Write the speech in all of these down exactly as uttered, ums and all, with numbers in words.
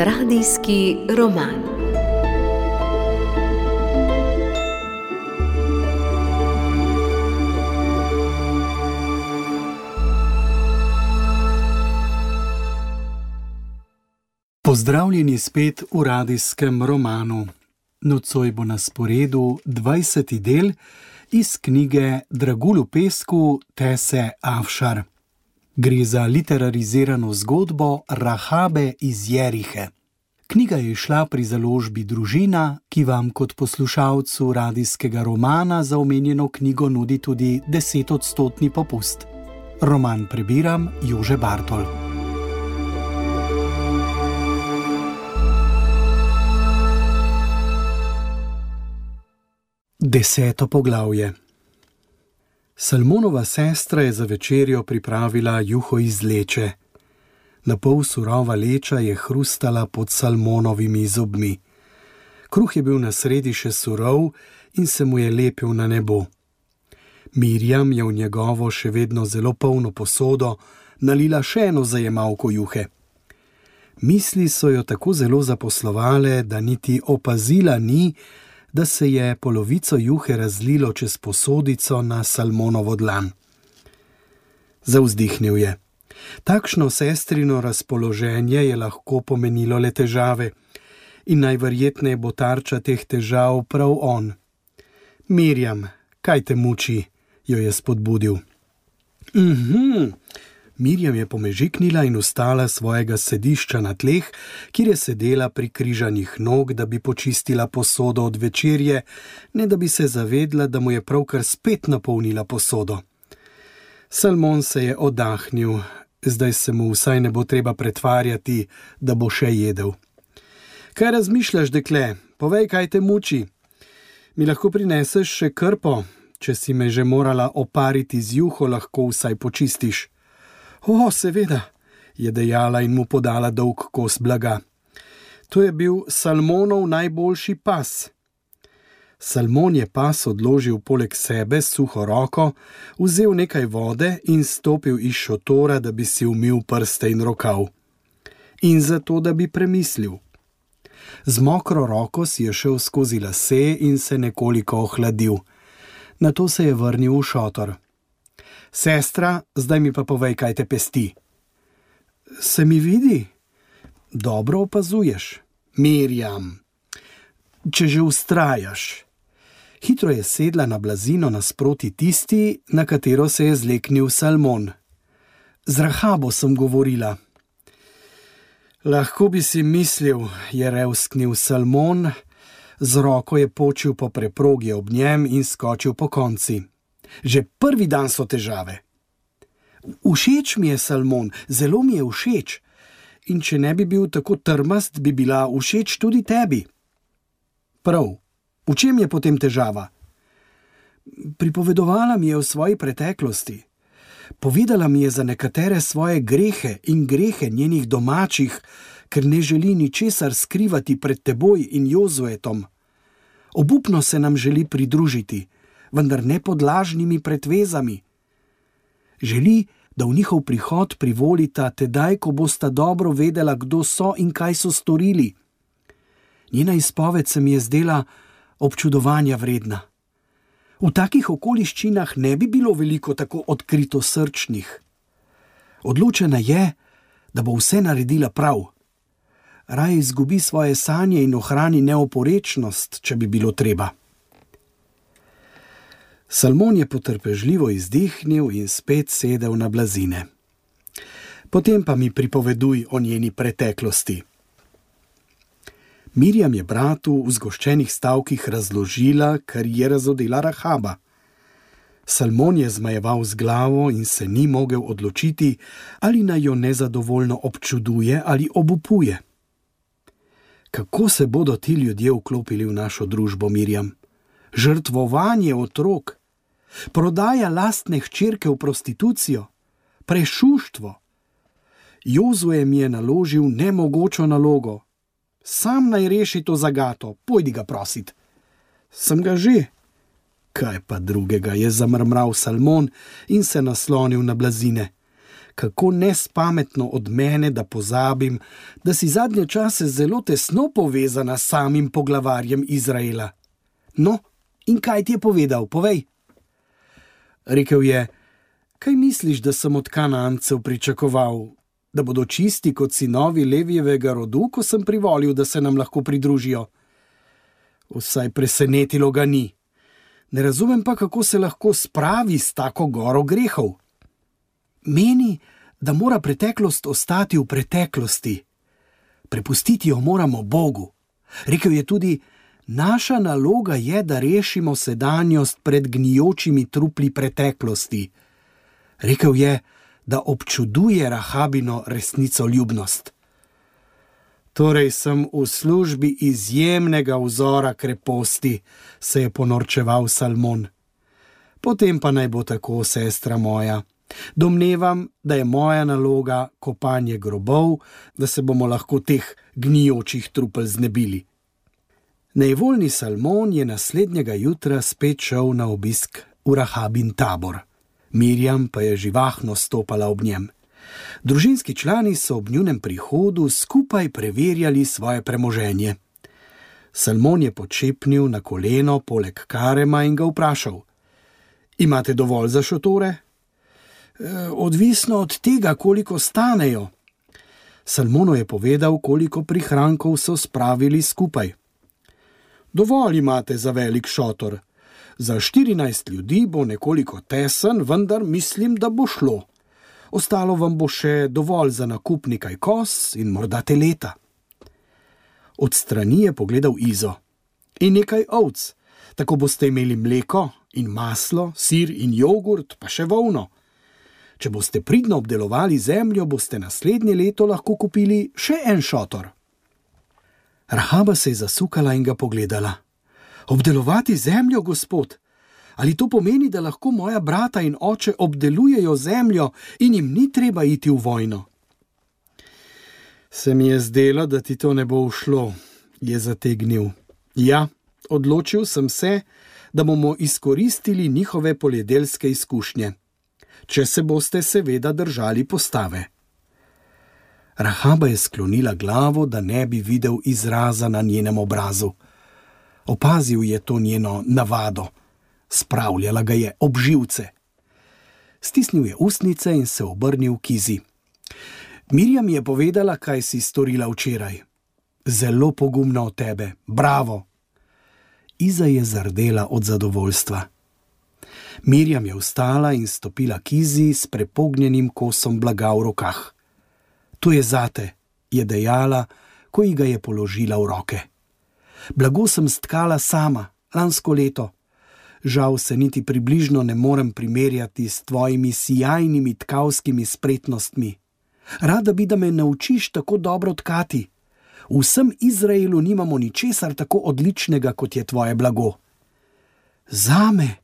Radijski roman. Pozdravljeni spet v radijskem romanu. Nocoj bo na sporedu dvajseti del iz knjige Dragulj v pesku Tese Afšar. Gre za literarizirano zgodbo Rahabe iz Jerihe. Knjiga je izšla pri založbi Družina, ki vam kot poslušalcu radijskega romana za omenjeno knjigo nudi tudi desetodstotni popust. Roman prebiram Jože Bartol. Deseto poglavje. Salmonova sestra je za večerjo pripravila juho iz leče. Napol surova leča je hrustala pod Salmonovimi zobmi. Kruh je bil na sredi še surov in se mu je lepil na nebo. Mirjam je v njegovo še vedno zelo polno posodo nalila še eno zajemalko juhe. Misli so jo tako zelo zaposlovale, da niti opazila ni, da se je polovico juhe razlilo čez posodico na Salmonovo dlan. Zavzdihnil je. Takšno sestrino razpoloženje je lahko pomenilo le težave in najverjetneje bo tarča teh težav prav on. Mirjam, kaj te muči, jo je spodbudil. Mhm. Mirjam je pomežiknila in vstala svojega sedišča na tleh, kjer je sedela pri križanih nog, da bi počistila posodo od večerje, ne da bi se zavedla, da mu je pravkar spet napolnila posodo. Salmon se je oddahnil, zdaj se mu vsaj ne bo treba pretvarjati, da bo še jedel. Kaj razmišljaš, dekle? Povej, kaj te muči. Mi lahko prineseš še krpo? Če si me že morala opariti z juho, lahko vsaj počistiš. O, seveda, je dejala in mu podala dolg kos blaga. To je bil Salmonov najboljši pas. Salmon je pas odložil poleg sebe s suho roko, vzel nekaj vode in stopil iz šotora, da bi si umil prste in rokav. In zato, da bi premislil. Z mokro roko si je šel skozi lase in se nekoliko ohladil. Nato se je vrnil v šotor. Sestra, zdaj mi pa povej, kaj te pesti. Se mi vidi? Dobro opazuješ. Mirjam, če že vztrajaš. Hitro je sedla na blazino nasproti tisti, na katero se je zleknil Salmon. Z Rahabo sem govorila. Lahko bi si mislil, je revsknil Salmon, z roko je počil po preprogi ob njem in skočil po konci. Že prvi dan so težave. Všeč mi je Salmon, zelo mi je všeč. In če ne bi bil tako trmast, bi bila všeč tudi tebi. Prav, v čem je potem težava? Pripovedovala mi je o svoji preteklosti. Povedala mi je za nekatere svoje grehe in grehe njenih domačih, ker ne želi ničesar skrivati pred teboj in Jozuetom. Obupno se nam želi pridružiti, vendar ne pod lažnimi pretvezami. Želi, da v njihov prihod privolita tedaj, ko bosta dobro vedela, kdo so in kaj so storili. Njena izpoved se mi je zdela občudovanja vredna. V takih okoliščinah ne bi bilo veliko tako odkrito srčnih. Odločena je, da bo vse naredila prav. Raje izgubi svoje sanje in ohrani neoporečnost, če bi bilo treba. Salmon je potrpežljivo izdihnil in spet sedel na blazine. Potem pa mi pripoveduj o njeni preteklosti. Mirjam je bratu v zgoščenih stavkih razložila, kar je razodela Rahaba. Salmon je zmajeval z glavo in se ni mogel odločiti, ali naj jo nezadovoljno občuduje ali obupuje. Kako se bodo ti ljudje vklopili v našo družbo, Mirjam? Žrtvovanje otrok, prodaja lastne hčerke v prostitucijo, prešuštvo. Jozue mi je naložil nemogočo nalogo. Sam naj reši to zagato, pojdi ga prosit. Sem ga že. Kaj pa drugega, je zamrmral Salmon in se naslonil na blazine. Kako nespametno od mene, da pozabim, da si zadnje čase zelo tesno povezana s samim poglavarjem Izraela. No, in kaj ti je povedal, povej? Rekel je: kaj misliš, da sem od Kanancev pričakoval? Da bodo čisti kot sinovi Levijevega rodu, ko sem privolil, da se nam lahko pridružijo? Vsaj presenetilo ga ni. Ne razumem pa, kako se lahko spravi s tako goro grehov. Meni, da mora preteklost ostati v preteklosti. Prepustiti jo moramo Bogu. Rekel je tudi: naša naloga je, da rešimo sedanjost pred gnijočimi trupli preteklosti. Rekel je, da občuduje Rahabino resnicoljubnost. Torej sem v službi izjemnega vzora kreposti, se je ponorčeval Salmon. Potem pa naj bo tako, sestra moja. Domnevam, da je moja naloga kopanje grobov, da se bomo lahko teh gnijočih trupel znebili. Nejevoljni Salmon je naslednjega jutra spet šel na obisk v Rahabin tabor. Mirjam pa je živahno stopala ob njem. Družinski člani so ob njunem prihodu skupaj preverjali svoje premoženje. Salmon je počepnil na koleno poleg Karema in ga vprašal: imate dovolj za šotore? E, odvisno od tega, koliko stanejo. Salmonu je povedal, koliko prihrankov so spravili skupaj. Dovolj imate za velik šotor. Za štirinajst ljudi bo nekoliko tesen, vendar mislim, da bo šlo. Ostalo vam bo še dovolj za nakup nekaj koz in morda teleta. Od strani je pogledal Izo. In nekaj ovc. Tako boste imeli mleko in maslo, sir in jogurt, pa še volno. Če boste pridno obdelovali zemljo, boste naslednje leto lahko kupili še en šotor. Rahaba se je zasukala in ga pogledala. Obdelovati zemljo, gospod? Ali to pomeni, da lahko moja brata in oče obdelujejo zemljo in jim ni treba iti v vojno? Se mi je zdelo, da ti to ne bo ušlo, je zategnil. Ja, odločil sem se, da bomo izkoristili njihove poljedelske izkušnje. Če se boste seveda držali postave. Rahaba je sklonila glavo, da ne bi videl izraza na njenem obrazu. Opazil je to njeno navado. Spravljala ga je ob živce. Stisnil je ustnice in se obrnil k Izi. Mirjam je povedala, kaj si storila včeraj. Zelo pogumno od tebe. Bravo! Iza je zardela od zadovoljstva. Mirjam je vstala in stopila k Izi s prepognjenim kosom blaga v rokah. To je zate, je dejala, ko ji ga je položila v roke. Blago sem stkala sama, lansko leto. Žal se niti približno ne morem primerjati s tvojimi sijajnimi tkavskimi spretnostmi. Rada bi, da me naučiš tako dobro tkati. V vsem Izraelu nimamo ničesar tako odličnega, kot je tvoje blago. Zame,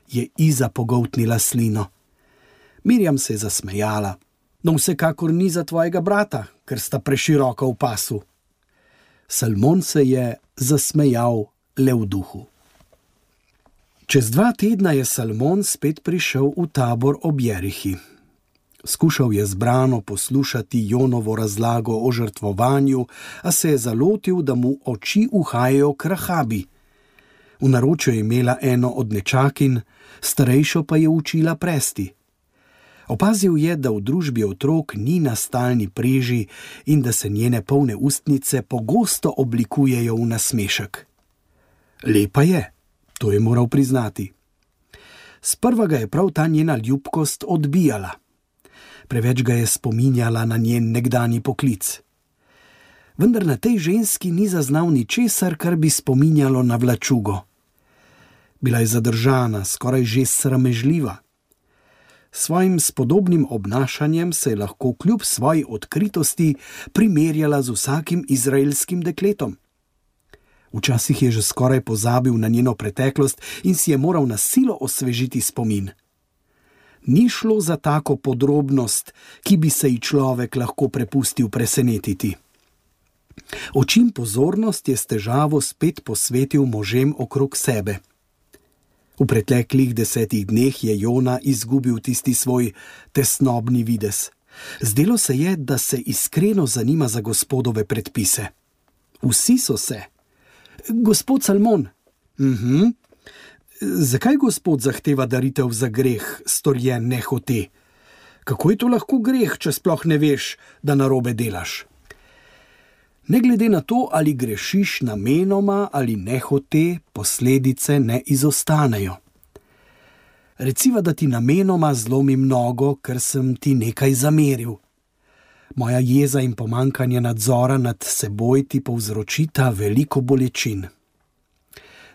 je Iza pogoltnila slino. Mirjam se je zasmejala. No, vsekakor ni za tvojega brata, ker sta preširoko v pasu. Salmon se je zasmejal le v duhu. Čez dva tedna je Salmon spet prišel v tabor ob Jerihi. Skušal je zbrano poslušati Jonovo razlago o žrtvovanju, a se je zalotil, da mu oči uhajajo k Rahabi. V naročju je imela eno od nečakin, starejšo pa je učila presti. Opazil je, da v družbi otrok ni na stalni preži in da se njene polne ustnice pogosto oblikujejo v nasmešek. Lepa je, to je moral priznati. Sprva ga je prav ta njena ljubkost odbijala. Preveč ga je spominjala na njen nekdanji poklic. Vendar na tej ženski ni zaznal ničesar, kar bi spominjalo na vlačugo. Bila je zadržana, skoraj že sramežljiva. Svojim spodobnim obnašanjem se je lahko kljub svoji odkritosti primerjala z vsakim izraelskim dekletom. Včasih je že skoraj pozabil na njeno preteklost in si je moral na silo osvežiti spomin. Ni šlo za tako podrobnost, ki bi se ji človek lahko prepustil presenetiti. Očim pozornost je s težavo spet posvetil možem okrog sebe. V preteklih desetih dneh je Jona izgubil tisti svoj tesnobni videz. Zdelo se je, da se iskreno zanima za Gospodove predpise. Vsi so se. Gospod Salmon. Mhm. Zakaj Gospod zahteva daritev za greh, storjen nehote? Kako je to lahko greh, če sploh ne veš, da narobe delaš? Ne glede na to, ali grešiš namenoma ali nehote, posledice ne izostanejo. Reciva, da ti namenoma zlomim nogo, ker sem ti nekaj zameril. Moja jeza in pomanjkanje nadzora nad seboj ti povzročita veliko bolečin.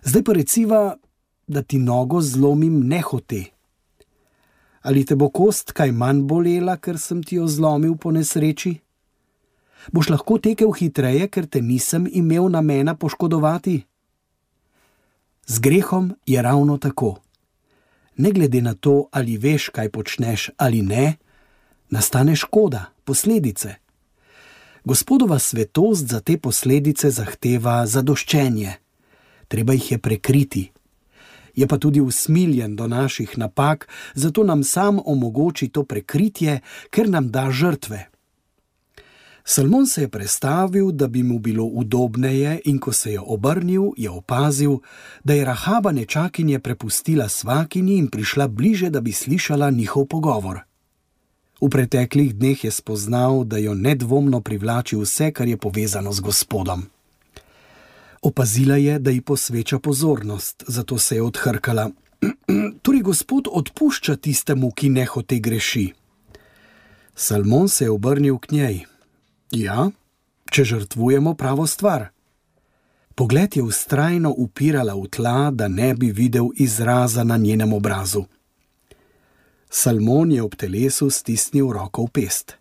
Zdaj pa reciva, da ti nogo zlomim nehote. Ali te bo kost kaj manj bolela, ker sem ti jo zlomil po nesreči? Boš lahko tekel hitreje, ker te nisem imel namena poškodovati? Z grehom je ravno tako. Ne glede na to, ali veš, kaj počneš ali ne, nastane škoda, posledice. Gospodova svetost za te posledice zahteva zadoščenje. Treba jih je prekriti. Je pa tudi usmiljen do naših napak, zato nam sam omogoči to prekritje, ker nam da žrtve. Salmon se je prestavil, da bi mu bilo udobneje, in ko se je obrnil, je opazil, da je Rahaba nečakinje prepustila svakinji in prišla bliže, da bi slišala njihov pogovor. V preteklih dneh je spoznal, da jo nedvomno privlači vse, kar je povezano z Gospodom. Opazila je, da ji posveča pozornost, zato se je odhrkala. Torej Gospod odpušča tistemu, ki nehote greši. Salmon se je obrnil k njej. Ja, če žrtvujemo pravo stvar. Pogled je vztrajno upirala v tla, da ne bi videl izraza na njenem obrazu. Salmon je ob telesu stisnil roko v pest.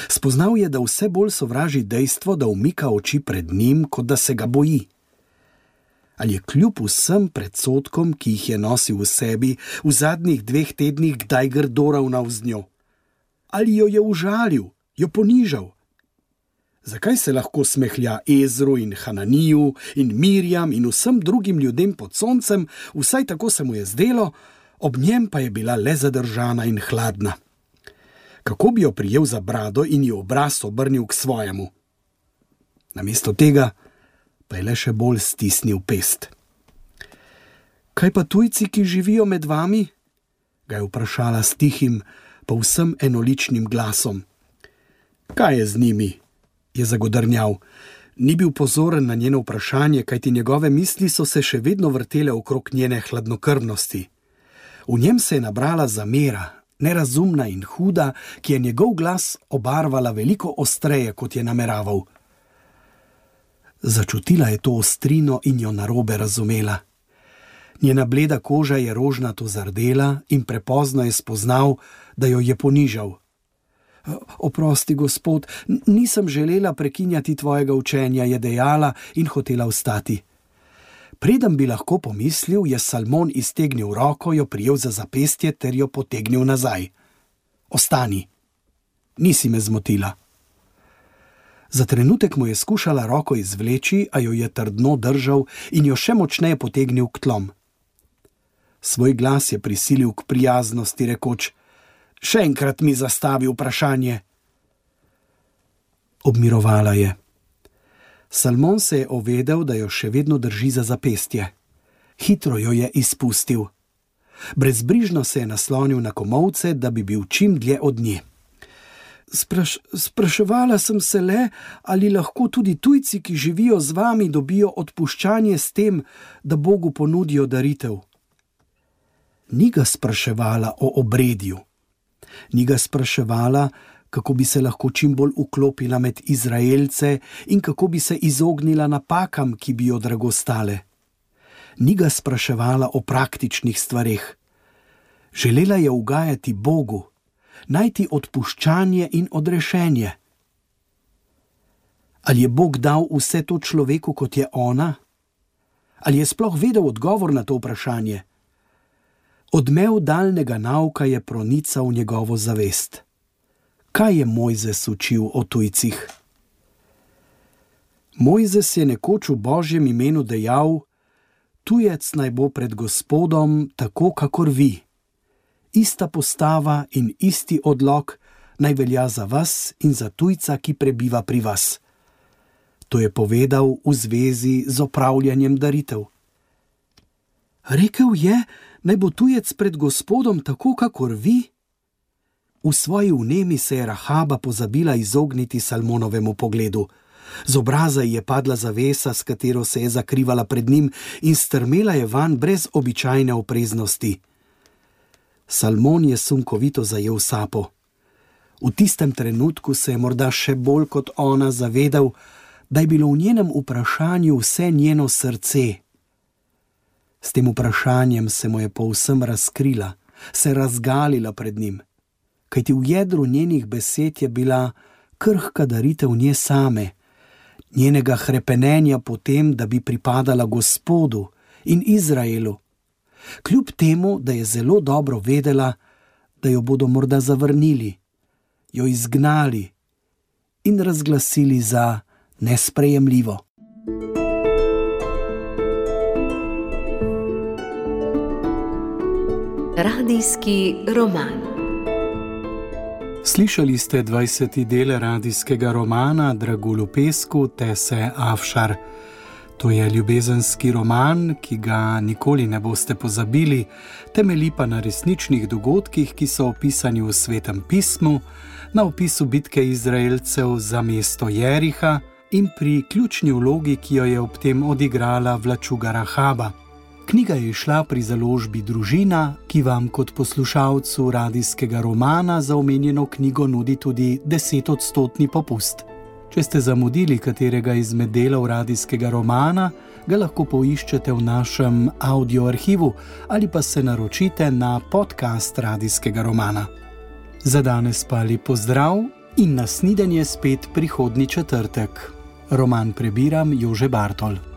Spoznal je, da vse bolj sovraži dejstvo, da umika oči pred njim, kot da se ga boji. Ali je kljub vsem predsodkom, ki jih je nosil v sebi, v zadnjih dveh tednih kdaj grdo ravnal z njo? Ali jo je užalil, jo ponižal? Zakaj se lahko smehlja Ezru in Hananiju in Mirjam in vsem drugim ljudem pod soncem, vsaj tako se mu je zdelo, ob njem pa je bila le zadržana in hladna? Kako bi jo prijel za brado in ji obraz obrnil k svojemu? Namesto tega pa je le še bolj stisnil pest. Kaj pa tujci, ki živijo med vami? Ga je vprašala s tihim, povsem enoličnim glasom. Kaj je z njimi? Je zagodrnjal. Ni bil pozoren na njeno vprašanje, kajti njegove misli so se še vedno vrtele okrog njene hladnokrvnosti. V njem se je nabrala zamera, nerazumna in huda, ki je njegov glas obarvala veliko ostreje, kot je nameraval. Začutila je to ostrino in jo narobe razumela. Njena bleda koža je rožnato zardela in prepozno je spoznal, da jo je ponižal. Oprosti, Gospod, nisem želela prekinjati tvojega učenja, je dejala in hotela vstati. Preden bi lahko pomislil, je Salmon iztegnil roko, jo prijel za zapestje ter jo potegnil nazaj. Ostani, nisi me zmotila. Za trenutek mu je skušala roko izvleči, a jo je trdno držal in jo še močneje potegnil k tlom. Svoj glas je prisilil k prijaznosti, rekoč: Še enkrat mi zastavi vprašanje. Obmirovala je. Salmon se je ovedel, da jo še vedno drži za zapestje. Hitro jo je izpustil. Brezbrižno se je naslonil na komolce, da bi bil čim dlje od nje. Spraš, spraševala sem se le, ali lahko tudi tujci, ki živijo z vami, dobijo odpuščanje s tem, da Bogu ponudijo daritev. Ni ga spraševala o obredju. Ni ga spraševala, kako bi se lahko čim bolj vklopila med Izraelce in kako bi se izognila napakam, ki bi jo drago stale. Ni ga spraševala o praktičnih stvareh. Želela je ugajati Bogu, najti odpuščanje in odrešenje. Ali je Bog dal vse to človeku, kot je ona? Ali je sploh vedel odgovor na to vprašanje? Odmev daljnega nauka je pronical njegovo zavest. Kaj je Mojzes učil o tujcih? Mojzes je nekoč v Božjem imenu dejal: Tujec naj bo pred Gospodom tako, kakor vi. Ista postava in isti odlok, naj velja za vas in za tujca, ki prebiva pri vas. To je povedal v zvezi z opravljanjem daritev. Rekel je, naj bo tujec pred Gospodom tako, kakor vi. V svoji vnemi se je Rahaba pozabila izogniti Salmonovemu pogledu. Z obraza ji je padla zavesa, s katero se je zakrivala pred njim, in strmela je vanj brez običajne opreznosti. Salmon je sunkovito zajel sapo. V tistem trenutku se je morda še bolj kot ona zavedal, da je bilo v njenem vprašanju vse njeno srce. S tem vprašanjem se mu je povsem razkrila, se razgalila pred njim, kajti v jedru njenih besed je bila krhka daritev nje same, njenega hrepenenja po tem, da bi pripadala Gospodu in Izraelu, kljub temu, da je zelo dobro vedela, da jo bodo morda zavrnili, jo izgnali in razglasili za nesprejemljivo. Radijski roman. Slišali ste dvajseti del radijskega romana Dragulj v pesku Tese Afšar. To je ljubezenski roman, ki ga nikoli ne boste pozabili, temelji pa na resničnih dogodkih, ki so opisani v Svetem pismu, na opisu bitke Izraelcev za mesto Jeriha in pri ključni vlogi, ki jo je ob tem odigrala vlačuga Rahaba. Knjiga je izšla pri založbi Družina, ki vam kot poslušalcu radijskega romana za omenjeno knjigo nudi tudi desetodstotni popust. Če ste zamudili katerega izmed delov radijskega romana, ga lahko poiščete v našem audio arhivu ali pa se naročite na podcast radijskega romana. Za danes pa lep pozdrav in nasnidenje spet prihodnji četrtek. Roman prebiram Jože Bartol.